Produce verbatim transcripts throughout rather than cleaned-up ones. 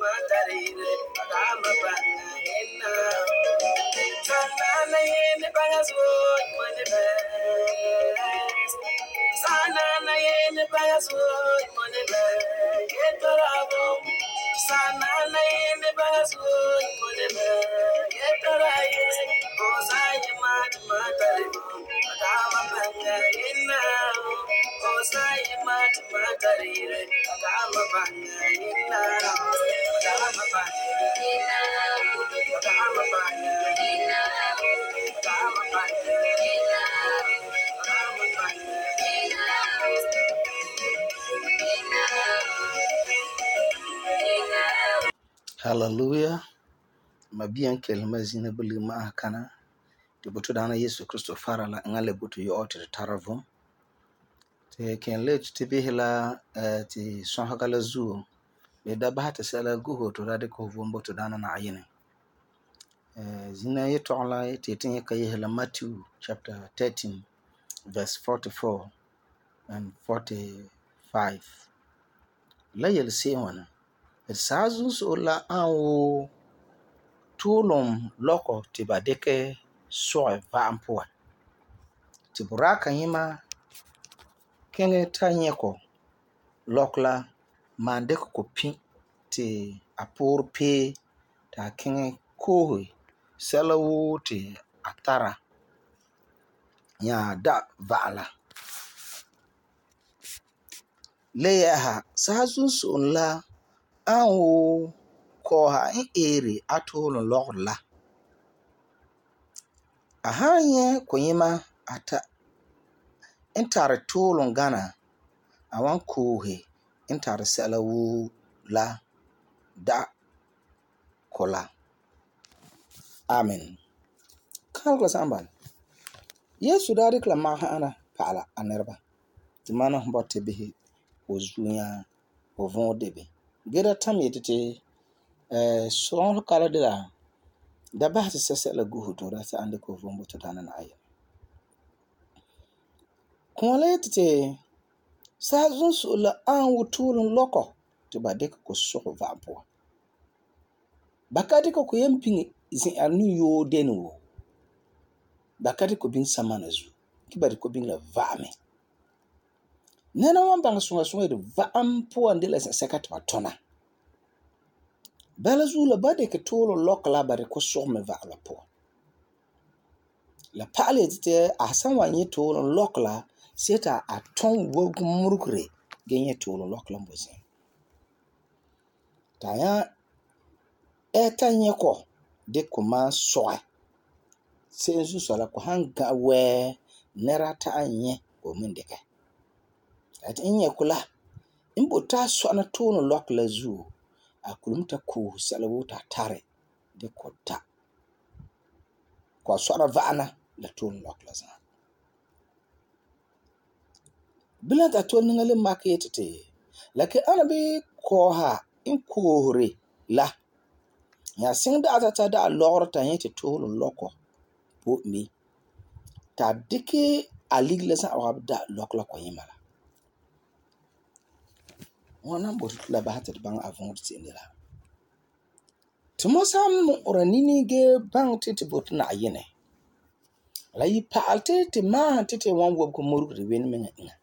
matarire agama banga inna sana yene bagazo mone be sana yene bagazo mone be yetarabo sana yene bagazo mone be yetaraye osaye mat matarire agama banga inna osaye mat matarire agama banga inna agama banga inna agama banga inna agama banga inna agama banga inna. Hallelujah. Mabiyan kelma zina buli ma kana te butu dana Yesu Kristo fara la ngale butu yo te taravum te ken le te bihla ti sonhaga la zuo le da ba ta sala guho to da de ko vom butu dana na ayine zina ye to la te tin ka ye la Matthew chapter thirteen verse forty-four and forty-five la yel se wana et sazu so la anwo tulum loko ti ba deke soe vampoa ti buraka yima kenge tanyeko lokla mande ko pin ti apor pe ta kenge kohi selawu ti atara ya da vala leha sazu so la anwo ko ha in ere atulun lokla ahanye ko yima ata intare tulun gana awan kohe intare selawu la da kola amen kalkla samban Yesu dari kla ma hana pala anerba ti mana botte bihi o zunya o von debe gera tam yetete eh son kala de la da ba se se la guhu to da sa ande ko von boto dana na ayi ko le tete sa zun so la an wutulun loko to ba de ko so va po bakati ko ko yempin zin anu yo denu bakati ko bin samana zu ki ba ko bin la vame nena wan bang sunga sunga de va am po ande la sekata batona bala zu la ba de ke tolo lokla ba de ko so me va la po la pale tete asan wan ye tolo lokla seta a ton wo murukre genye tolo lokla mbozi taya eta nyeko de kuma soa sensu sola ko hanga we nerata anye ko mendeke at inye kula imbota so na tolo lokla zu akulumta ko salawuta tare de kota ko so na vana la tolo lokla za bila ta tolo ngale makete lake anabi ko ha in kohore la ya sing da ta da lor ta yete tolo loko po mi ta dike aligla sa abda lokla ko yimala wana bo la ba ta bang avon tsindela tumo sam oranini ge bang tete bot na yene la yi paalte te ma tete wan wo ko murugri wen men ina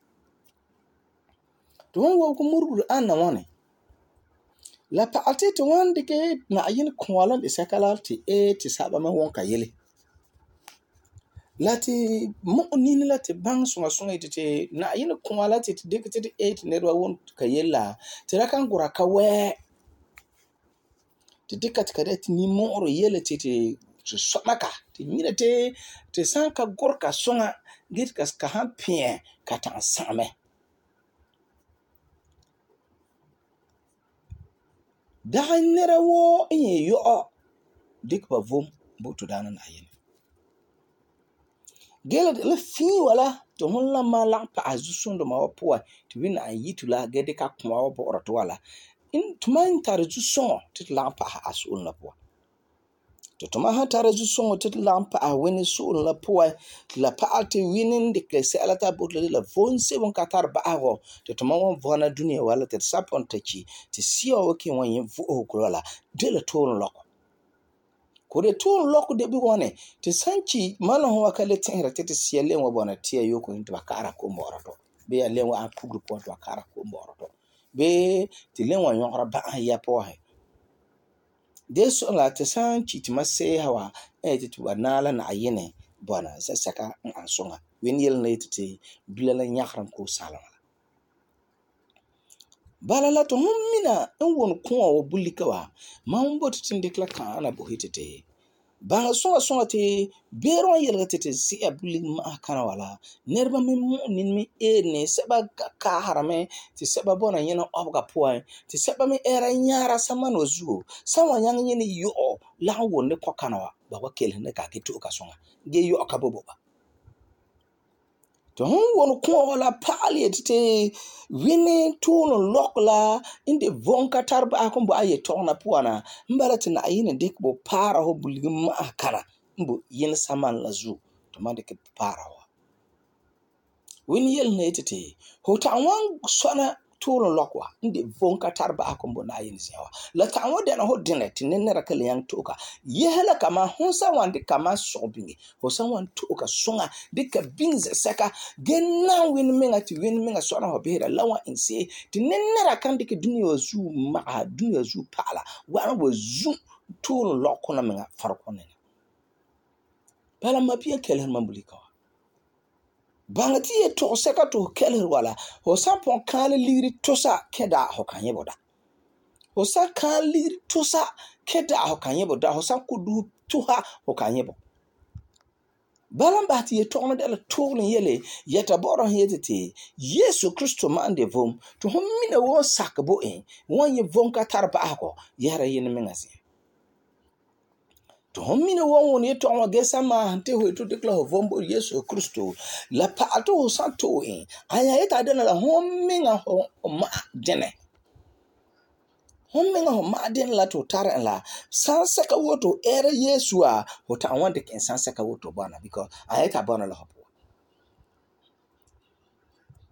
to wan wo ko murugri anna wane la paalte te wan dike na yin kwala de sakala te e te saba ma won ka yele lati mo nini lati bang sunga sunga tete na yin kwala te dike te eight ne ro won ka yela te rakan gura ka we te dika te kadet ni mo ro yele tete so somaka te nyina te te sanka gorka sunga git kas ka hampie ka tan same da nera wo in yo dik ba vom butu dana na yin gele le fi wala to hon la ma la pa azusun do ma po to win an yitula gede ka kuma wo bo to wala in tuman tar zu son tit la pa asul la po to toma han tara zu songo te la pa wini soul la poa la pa te winin de ke sela ta botla la von se bon katar ba ago to toma won vona dunia wala te sapon te chi te sio ke won yin vo ko la de la ton loko ko de ton loko de bi woni te sanchi malo ho wakale tenra te te siele wa bona tie yoko into bakara ko moroto be ya lewa a pugru po to bakara ko moroto be te lewa yonra ba ya po he de so la te sanchi te mase hawa e te tu nala na ayene bona sa saka an songa wen yel na te bilala nyakran ko salama bala la to mina en won ko wo bulika wa ma on bot tin dekla kan na bo hitete ba songa songa te bero yel te te si abuli ma kana wala nerba mi mo nin mi e ne seba ka harame te seba bona yena obga poa te seba mi era nyara samano zuo sawa yang yene yo la won ne kokana wa ba wa kel ne ka ke to ka songa ge yo ka bobo ba to hon won ko wala pali te wini tuno lokla inde vonka tarba akon bo aye tona puana mbala tina ayine dik bo para ho bulgi ma kana mbo yin saman la zu to mande ke para wa wini yel ne tete ho ta wan sona tuno lokwa inde vonka tarba akon bo na yin siyawa la ta wan dena ho dine tinne rakale yang toka yehla kama honsa wan de kama sobingi ho san wan toka sunga dika bings saka genna win menga ti win menga sona ho behira lawa inse tinne rakande ke dunia zu ma dunia zu pala wan wo zu tuno lokona menga farko ne pala mapia kelen mambulika bangati e to seka to kelen wala ho sapon kan liri tosa keda ho kanye boda ho sa kan liri tosa keda ho kanye boda ho sa kudu tuha ho kanye bo balan bahti e to na dela to ne yele yeta boro yetete Yesu Kristo mande vom to hom mina wo sakbo en won ye vom ka tarba ako yara yin mengasi to hom mina wo won ye to wa gesa ma hante ho to dekla ho vombo Yesu Kristo la pa to ho santo en aya yeta dena la hom minga ho ma dene hom minga ho ma den la to tara la sansa ka woto era Yesu a ho ta wan de ken sansa ka woto bana because ayeta bana la ho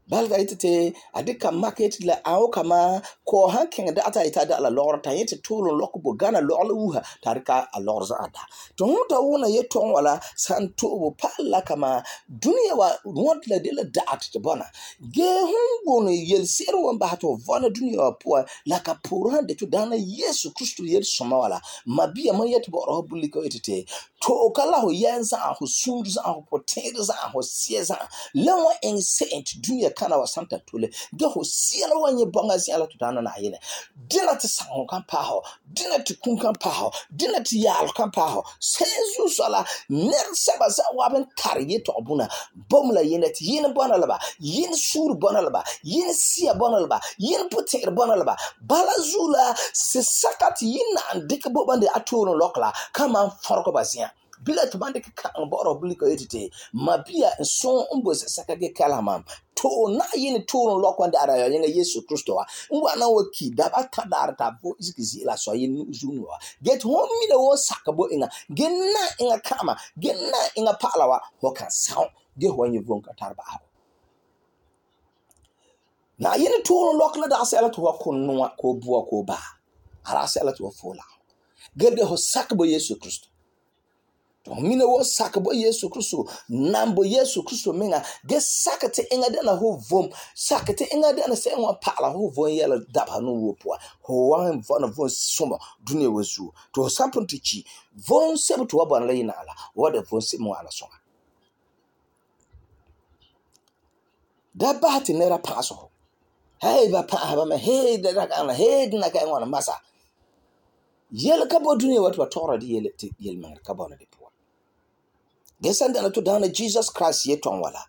balga itete adika market la au kama ko hankin da ata ita da la lor ta yete tulu lok bu gana lor uha tarika a lor za ada to hunta wona yeton wala santo bu palla kama dunia wa wont la de la da at bona ge hungo no yel sero wan ba to vona dunia po la ka puran de to dana Yesu Kristo yel soma wala mabia man yet bo ro buliko itete to kala ho yenza ho sunza ho poteza ho sieza lawa en saint dunia kana wa santa tole ge ho siela wanye bonga siela tutana na yene dina te sango kan pa ho dina te kun kan pa ho dina te yal kan pa ho sezu sala ner seba za waben tariye to obuna bomla yene te yene bona laba yene sur bona laba yene sia bona laba yene poter bona laba balazula se sakati yina andike bobande atoro lokla kama farko basia bila to bande ka boro buliko etite mabia so umbo saka ge kalamam to na yini to lokwa ndara ya yene Yesu Kristo wa ngwa na waki da ba kadar ta bo iskizi la so yin uzunwa get home mi da wo sakabo inga genna inga kama genna inga palawa ho kan sound ge ho yin vonka tarba na yini to lokla da asela to ko nwa ko buwa ko ba ara asela to fola gede ho sakabo Yesu Kristo to mina wo sakabo Yesu Kristo nambo Yesu Kristo menga ge sakate inga dana ho vom sakate inga dana se nwa pala ho vom yela daba no wo po ho wan von von soma dunia wazu to sampon tichi von sebe to wabana la yina ala wada von se mo ala songa da bahati nera paso hey ba pa ba me hey da da hey na ka ngwana masa yel ka bo dunia watu watora di yel yel man ka bona de po gesanda na to dana Jesus Christ yeton wala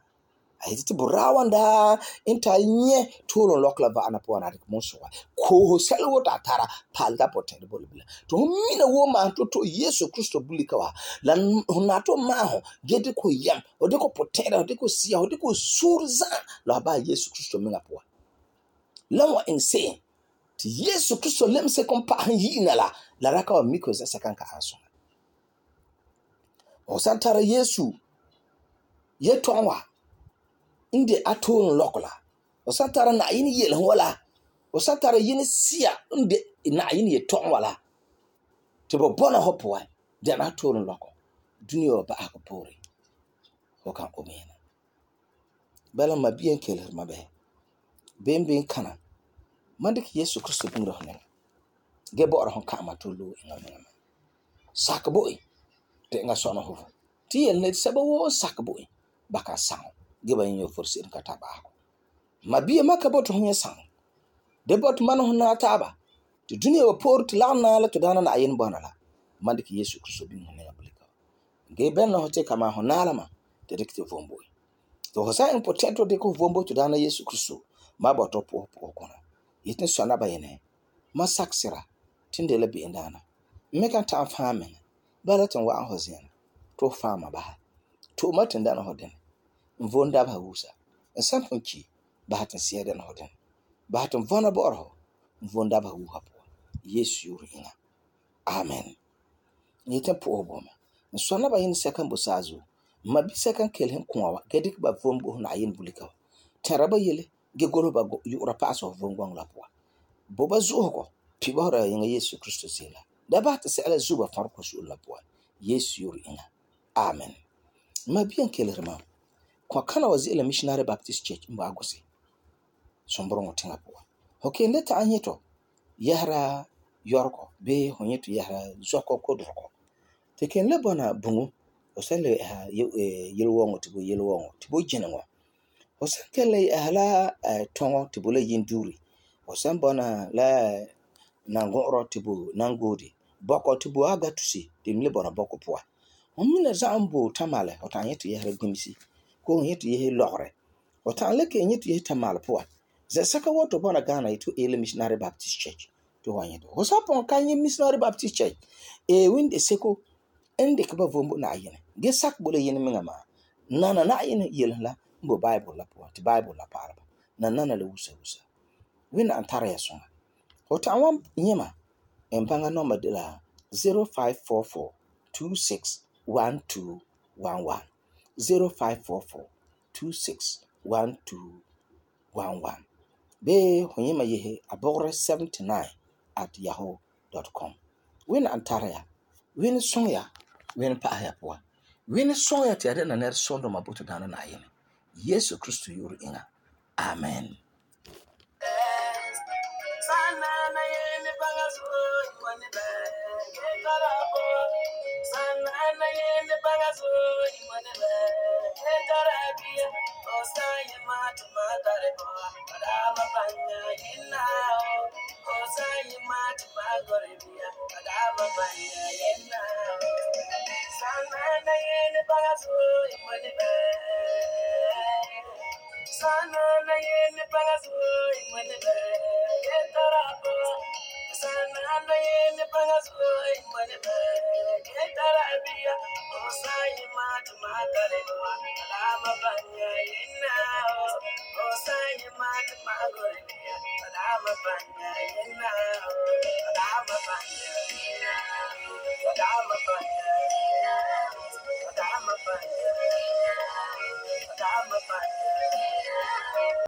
ayiti burawanda inta nye tolo lokla va ana po ana mo ko ho selwo ta tara palga potent bolibla to mina wo ma to to Yesu Kristo bulika wa la na to ma ho gede ko yam o de ko potent o de ko sia o de ko surza la ba Yesu Kristo menga po la wa insane ti Yesu Kristo lemse kompa yina la la raka wa miko za sakanka anso O san tara Yesu yetɔgom wa n de a tooren lɔkɔ la. O san tara Na'ayenɛ yelehom wa la. O san tara yene sia n de Na'ayenɛ yetɔgom wa la. Te bo bɔna ho puan dɛna tooren lɔkɔ. Dunia wa ba'ahegɔ poore. Ho kan ko mena. Bala ma biyan kelehir ma bɛ. Ben ben kana. Man dikɛ Yesu Kristo buŋra ho nɛŋa. Ge bo'ora hon ka'ama to lo inga menga. Sak bo e te inga sɔna ho. Ti yel ne sɛba woo sak bo e ba kan saŋ. Ge ba yin forse ka ta ba'ahegɔ. Ma biya ma ka bɔta ho nya saŋ. De bɔta man ho na taaba. Te dunia wa poore te lagom na la to daana Na'ayenɛ bɔna la. Man dikɛ Yesu Kristo biŋ ho nɛŋa bulika. Ge ben na ho te kama ho na la ma te dikɛ te vom bo e. To ho sa in potento dikɛ ho vom bo to daana Yesu Kristo. Ma bɔta po po kono. Yetin sɔna ba yene. Ma saksira tinde la be'en daana. Me kan ta'am faam men. Bala tin wa'an ho ziana. To faama ba. To ma tin dana ho den. Mvon dab ha wusa. En sampon ki ba tin siya dana ho den. Ba tin vona bo'or ho. Mvon dab ha wuha po. Yesu yuri inga. Amen. Yetin po bo me. En sɔna ba yene sekan bo saazu. Ma bi sekan kelhen kuwa wa. Ge dik ba vom bo na yin bulika. Tera ba yele. Ge golo ba yura paso vom gwang la po. Bo ba zuho ko. Pi ba hora yinga Yesu Kristo sila. Da ba ta sela zuba farko su la po. Yesu yuri inga. Amen. Ma biyan kelehir ma. Kwa kana wa zila Missionary Baptist Church mba agusi. Sombrongo tinga po. Hoke ndeta anyeto. Yahra yorko. Be honyeto yahra zoko kodroko. Teke nlebona bungu. Osele ha yelwongo tibo yelwongo. Tibo jinengo. Osan kele ahla tongo tibo le yinduri. Osan bona la nangoro tibo nangodi. Boko tibo aga tusi. Dimle bona boko poa. Omina zambo tamale. Otan yetu yahra gumisi. Ko yetu yehe lore. Otan leke yetu yehe tamale poa. Zesaka woto bona Ghana itu ele Missionary Baptist Church. To wanyeto. Hosapon kanye Missionary Baptist Church. E winde seko. Ende kaba vombo na ayene. Ge sak bole yene menga ma. Nana na ayene yele la. Mbo Bible la poa. Ti Bible la paraba. Na nana le wusa wusa. Wina antara ya songa. Otan wam nyema. Empanga nomba de la zero five four four two six one two one one. zero five four four two six one two one one. Be honyema yehe abogre seventy-nine at yahoo dot com. Win antara win songa win pa ya poa. Win songa ti ade na ner sondo mabuto dana na yene. Yesu Kristo yuru inga. Amen. Sana na yeni pagaso imane be yetarabo. Sana na yeni pagaso imane be yetarabia. Osai mat magare wa alama banya yena. Osai mat magare bia alama banya yena. Alama banya yena. Alama banya yena. Alama banya yena. Alama banya